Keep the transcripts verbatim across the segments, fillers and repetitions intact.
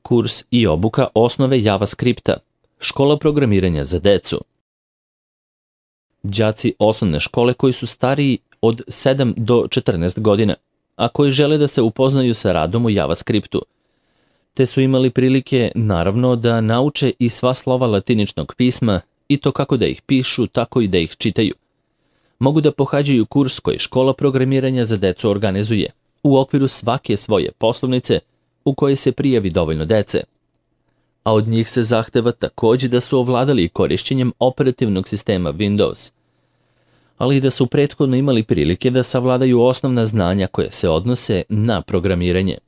Kurs i obuka osnove JavaScripta, škola programiranja za decu. Đaci osnovne škole koji su stariji od sedam do četrnaest godina, a koji žele da se upoznaju sa radom u JavaScriptu, te su imali prilike, naravno, da nauče i sva slova latiničnog pisma i to kako da ih pišu, tako i da ih čitaju. Mogu da pohađaju kurs koji škola programiranja za decu organizuje u okviru svake svoje poslovnice u kojoj se prijavi dovoljno dece. A od njih se zahteva takođe da su ovladali korišćenjem operativnog sistema Windows, ali i da su prethodno imali prilike da savladaju osnovna znanja koje se odnose na programiranje.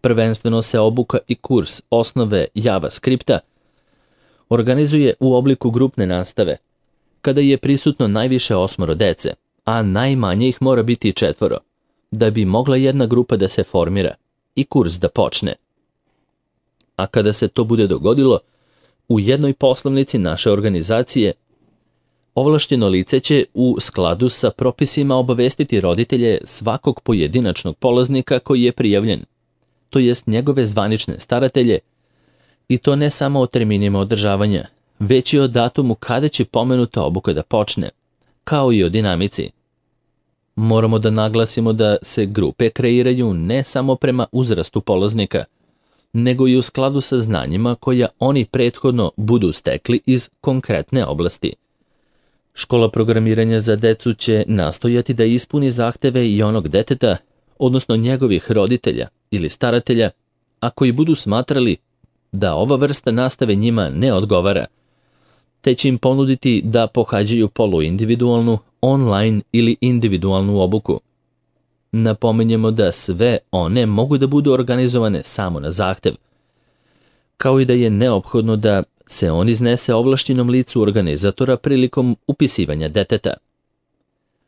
Prvenstveno se obuka i kurs osnove JavaScripta organizuje u obliku grupne nastave, kada je prisutno najviše osmoro dece, a najmanje ih mora biti četvoro, da bi mogla jedna grupa da se formira i kurs da počne. A kada se to bude dogodilo, u jednoj poslovnici naše organizacije ovlašćeno lice će u skladu sa propisima obavestiti roditelje svakog pojedinačnog polaznika koji je prijavljen, to jest njegove zvanične staratelje, i to ne samo o terminima održavanja, već i o datumu kada će pomenuta obuka da počne, kao i o dinamici. Moramo da naglasimo da se grupe kreiraju ne samo prema uzrastu polaznika, nego i u skladu sa znanjima koja oni prethodno budu stekli iz konkretne oblasti. Škola programiranja za decu će nastojati da ispuni zahteve i onog deteta, odnosno njegovih roditelja ili staratelja, a koji budu smatrali da ova vrsta nastave njima ne odgovara, te će im ponuditi da pohađaju poluindividualnu, online ili individualnu obuku. Napominjemo da sve one mogu da budu organizovane samo na zahtev, kao i da je neophodno da se on iznese ovlašćenom licu organizatora prilikom upisivanja deteta.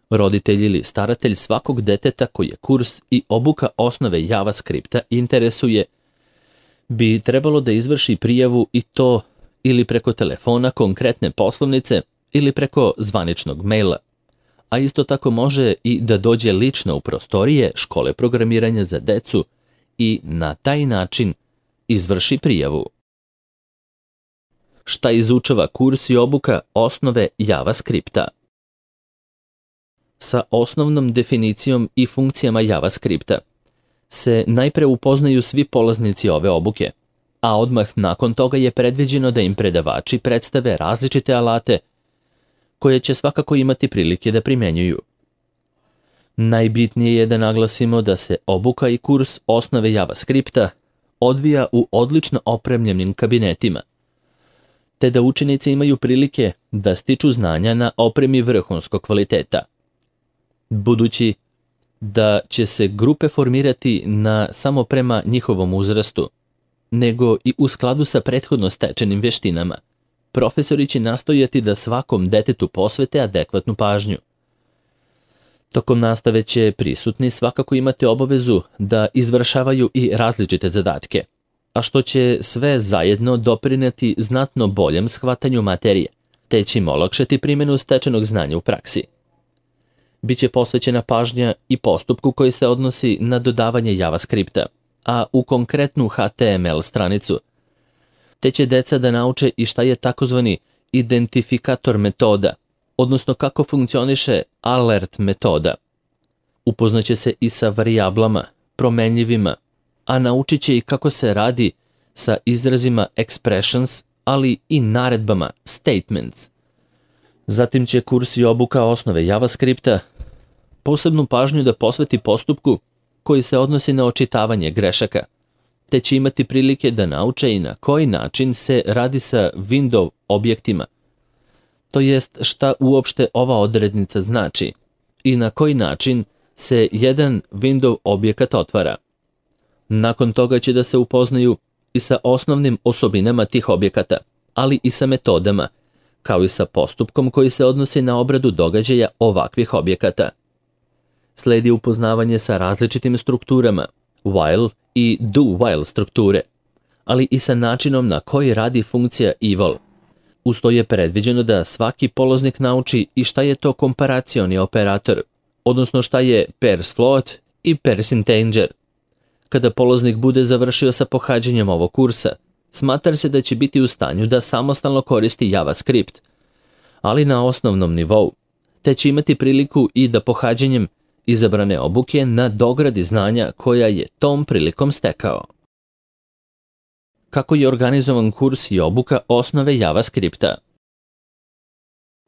Roditelj ili staratelj svakog deteta koji je kurs i obuka osnove JavaScripta interesuje bi trebalo da izvrši prijavu i to ili preko telefona konkretne poslovnice ili preko zvaničnog maila, a isto tako može i da dođe lično u prostorije škole programiranja za decu i na taj način izvrši prijavu. Šta izučava kurs i obuka osnove JavaScripta? Sa osnovnom definicijom i funkcijama JavaScripta se najpre upoznaju svi polaznici ove obuke, a odmah nakon toga je predviđeno da im predavači predstave različite alate koje će svakako imati prilike da primenjuju. Najbitnije je da naglasimo da se obuka i kurs osnove JavaScripta odvija u odlično opremljenim kabinetima, te da učenici imaju prilike da stiču znanja na opremi vrhunskog kvaliteta. Budući da će se grupe formirati na samo prema njihovom uzrastu, nego i u skladu sa prethodno stečenim veštinama, profesori će nastojati da svakom detetu posvete adekvatnu pažnju. Tokom nastave će prisutni svakako imati obavezu da izvršavaju i različite zadatke, a što će sve zajedno doprineti znatno boljem shvatanju materije, te će im olakšati primjenu stečenog znanja u praksi. Biće posvećena pažnja i postupku koji se odnosi na dodavanje JavaScripta, a u konkretnu H T M L stranicu, te će deca da nauče i šta je takozvani identifikator metoda, odnosno kako funkcioniše alert metoda. Upoznaće se i sa varijablama, promenljivima, a naučit će i kako se radi sa izrazima expressions, ali i naredbama statements. Zatim će kurs i obuka osnove JavaScripta posebnu pažnju da posveti postupku koji se odnosi na očitavanje grešaka, te će imati prilike da nauče i na koji način se radi sa window objektima, to jest šta uopšte ova odrednica znači i na koji način se jedan window objekat otvara. Nakon toga će da se upoznaju i sa osnovnim osobinama tih objekata, ali i sa metodama, kao i sa postupkom koji se odnosi na obradu događaja ovakvih objekata. Sledi upoznavanje sa različitim strukturama, while i do while strukture, ali i sa načinom na koji radi funkcija eval. Uz to je predviđeno da svaki polaznik nauči i šta je to komparacioni operator, odnosno šta je pairs float i pairs integer, Kada polaznik bude završio sa pohađanjem ovog kursa, smatra se da će biti u stanju da samostalno koristi JavaScript, ali na osnovnom nivou, te će imati priliku i da pohađanjem izabrane obuke na dogradi znanja koja je tom prilikom stekao. Kako je organizovan kurs i obuka osnove JavaScripta?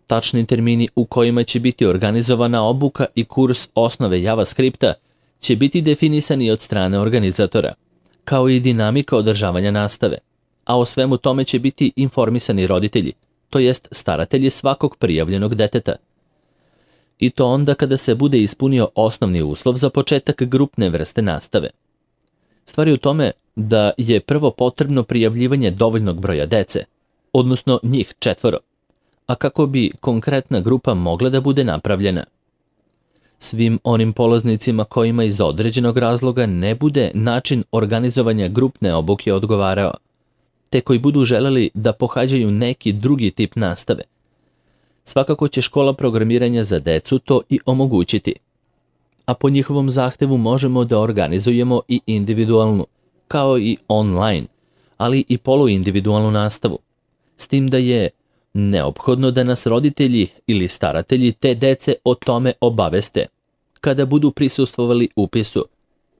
Tačni termini u kojima će biti organizovana obuka i kurs osnove JavaScripta će biti definisani od strane organizatora, kao i dinamika održavanja nastave, a o svemu tome će biti informisani roditelji, to jest staratelji svakog prijavljenog deteta. I to onda kada se bude ispunio osnovni uslov za početak grupne vrste nastave. Stvar je u tome da je prvo potrebno prijavljivanje dovoljnog broja dece, odnosno njih četvoro, a kako bi konkretna grupa mogla da bude napravljena. Svim onim polaznicima kojima iz određenog razloga ne bude način organizovanja grupne obuke odgovarao, te koji budu želeli da pohađaju neki drugi tip nastave. Svakako će škola programiranja za decu to i omogućiti, a po njihovom zahtevu možemo da organizujemo i individualnu, kao i online, ali i poluindividualnu nastavu, s tim da je neophodno da nas roditelji ili staratelji te dece o tome obaveste, kada budu prisustvovali upisu,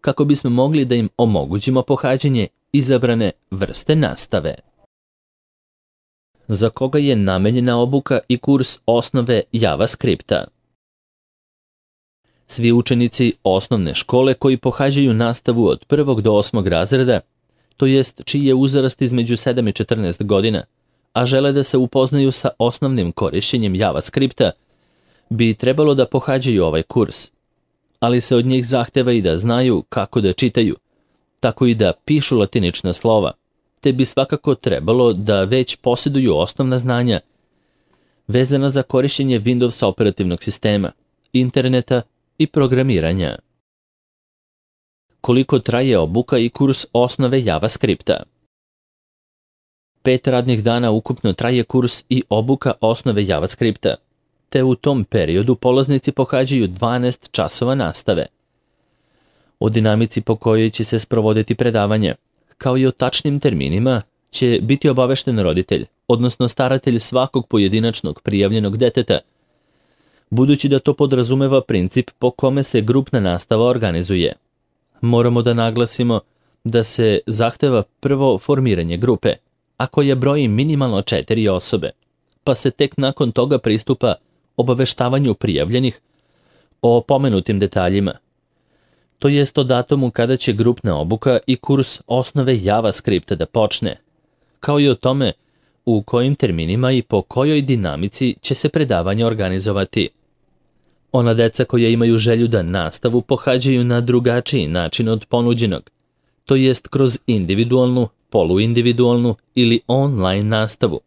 kako bismo mogli da im omogućimo pohađanje izabrane vrste nastave. Za koga je namenjena obuka i kurs osnove JavaScripta? Svi učenici osnovne škole koji pohađaju nastavu od prvog do osmog razreda, to jest čiji je uzrast između sedam i četrnaest godina, a žele da se upoznaju sa osnovnim korišćenjem JavaScripta, bi trebalo da pohađaju ovaj kurs, ali se od njih zahteva i da znaju kako da čitaju, tako i da pišu latinična slova, te bi svakako trebalo da već posjeduju osnovna znanja vezana za korišćenje Windows operativnog sistema, interneta i programiranja. Koliko traje obuka i kurs osnove JavaScripta? Pet radnih dana ukupno traje kurs i obuka osnove JavaScripta, te u tom periodu polaznici pohađaju dvanaest časova nastave. O dinamici po kojoj će se sprovoditi predavanje, kao i o tačnim terminima, će biti obavešten roditelj, odnosno staratelj svakog pojedinačnog prijavljenog deteta, budući da to podrazumeva princip po kome se grupna nastava organizuje. Moramo da naglasimo da se zahteva prvo formiranje grupe, a koja broji minimalno četiri osobe, pa se tek nakon toga pristupa obaveštavanju prijavljenih o pomenutim detaljima, to jest o datumu kada će grupna obuka i kurs osnove JavaScripta da počne, kao i o tome u kojim terminima i po kojoj dinamici će se predavanje organizovati. Ona deca koja imaju želju da nastavu pohađaju na drugačiji način od ponuđenog, to jest kroz individualnu, poluindividualnu ili online nastavu,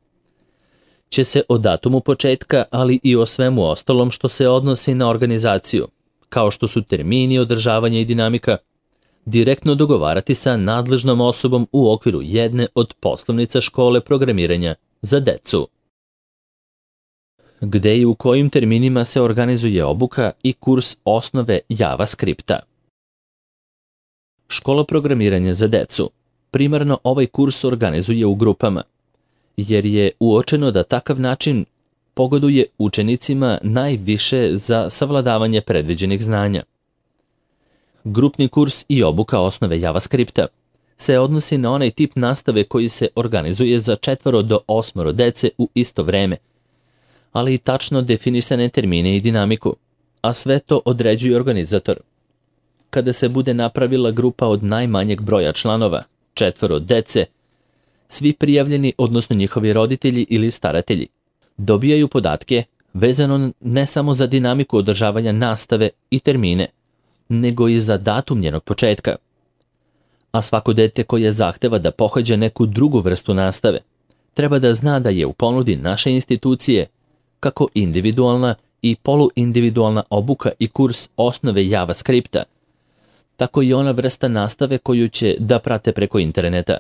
će se o datumu početka, ali i o svemu ostalom što se odnosi na organizaciju, kao što su termini održavanja i dinamika, direktno dogovarati sa nadležnom osobom u okviru jedne od poslovnica škole programiranja za decu. Gde i u kojim terminima se organizuje obuka i kurs osnove JavaScripta? Škola programiranja za decu primarno ovaj kurs organizuje u grupama, jer je uočeno da takav način pogoduje učenicima najviše za savladavanje predviđenih znanja. Grupni kurs i obuka osnove JavaScripta se odnosi na onaj tip nastave koji se organizuje za četvoro do osmoro dece u isto vreme, ali i tačno definisane termine i dinamiku, a sve to određuje organizator. Kada se bude napravila grupa od najmanjeg broja članova, četvoro dece, svi prijavljeni, odnosno njihovi roditelji ili staratelji, dobijaju podatke vezano ne samo za dinamiku održavanja nastave i termine, nego i za datum njenog početka. A svako dete koje zahteva da pohađa neku drugu vrstu nastave, treba da zna da je u ponudi naše institucije kako individualna i poluindividualna obuka i kurs osnove JavaScripta, tako i ona vrsta nastave koju će da prate preko interneta.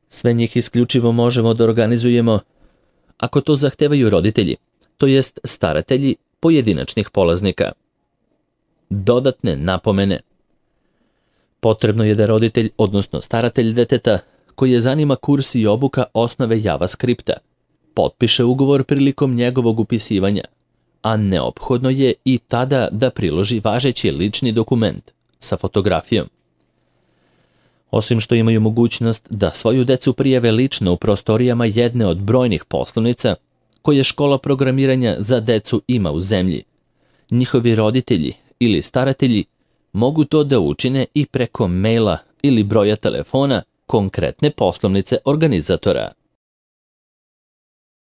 Sve njih isključivo možemo da organizujemo ako to zahtevaju roditelji, to jest staratelji pojedinačnih polaznika. Dodatne napomene. Potrebno je da roditelj, odnosno staratelj deteta, koji je zanima kurs i obuka osnove JavaScripta, potpiše ugovor prilikom njegovog upisivanja, a neophodno je i tada da priloži važeći lični dokument sa fotografijom. Osim što imaju mogućnost da svoju decu prijave lično u prostorijama jedne od brojnih poslovnica koje škola programiranja za decu ima u zemlji, njihovi roditelji ili staratelji mogu to da učine i preko maila ili broja telefona konkretne poslovnice organizatora.